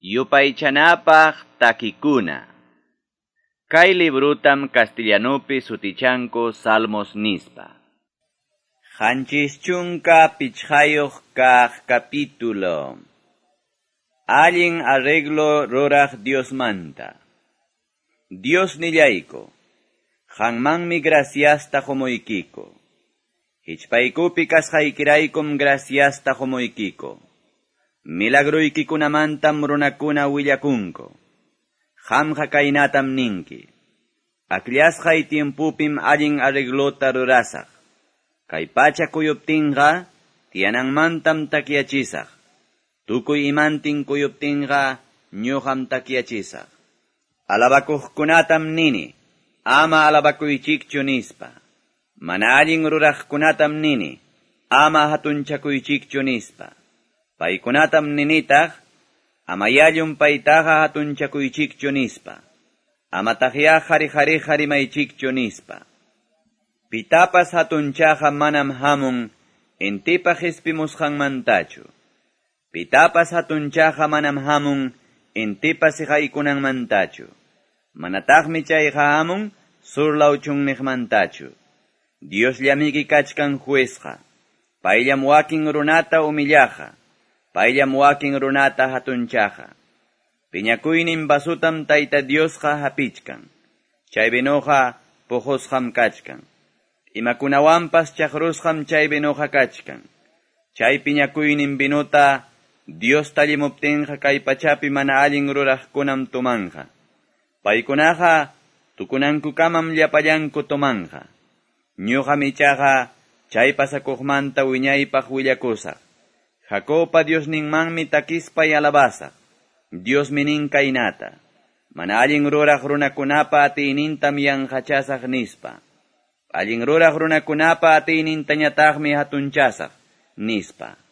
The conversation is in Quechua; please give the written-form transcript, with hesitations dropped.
Yupaychanapaq takikuna. Kay librutam castellanupi sutichanku Salmos nispa. 75 kaq capítulo. Allin arreglo ruraq Diosmanta. Dios nillayko, qanmanmi graciasta qumuykiko. Hichpaykupi kasqaykiraykum graciasta qumuykiko. Milagroykikunamantam runakuna willakunku. Qamqa kaynatam ninki. Akllasqay tiempupim allin arreglota rurasaq. Kay pacha kuyuptinqa tiyananmantam takyachisaq. Tukuy imantin kuyuptinqa ñuqam takyachisaq. Alabakuqkunatam nini, ama alabakuychikchu nispa. Mana allin ruraqkunatam nini, ama hatunchakuychikchu nispa. Paykunatam ninitaq, ama llumpaytaqa hatunchakuychikchu nispa. Amataqya qhari-qhariqa rimaychikchu nispa. Pitapas hatunchaqa manam hamun intipa qispimusqanmantachu. Pitapas hatunchaqa manam hamun intipa siqaykunanmantachu. Manataqmi chayqa hamun surlaw chunniqmantachu. Diosllamiki kachkan juezqa. Payllam wakin runata humillaqa. Payllam wakin runata hatunchaqa. Piñakuynin basutam Tayta Diosqa hapichkan. Chay vinoqa puqusqam kachkan. Imakunawanpas chaqrusqam chay vinoqa kachkan. Chay piñakuynin vinuta Dios tallimuptinqa kay pachapi mana allin ruraqkunam tumanqa. Paykunaqa tukunankukamam llapallanku tumanqa. Ñuqam ichaqa chay pasakuqmanta wiñaypaq willakusaq. Jacobpa Diosninmanmi takispay alabasaq. Diosmi nin kaynata. Mana allin ruraq runakunapa atiynintam yanqachasaq nispa. Allin ruraq runakunapa atiynintañataqmi hatunchasaq nispa.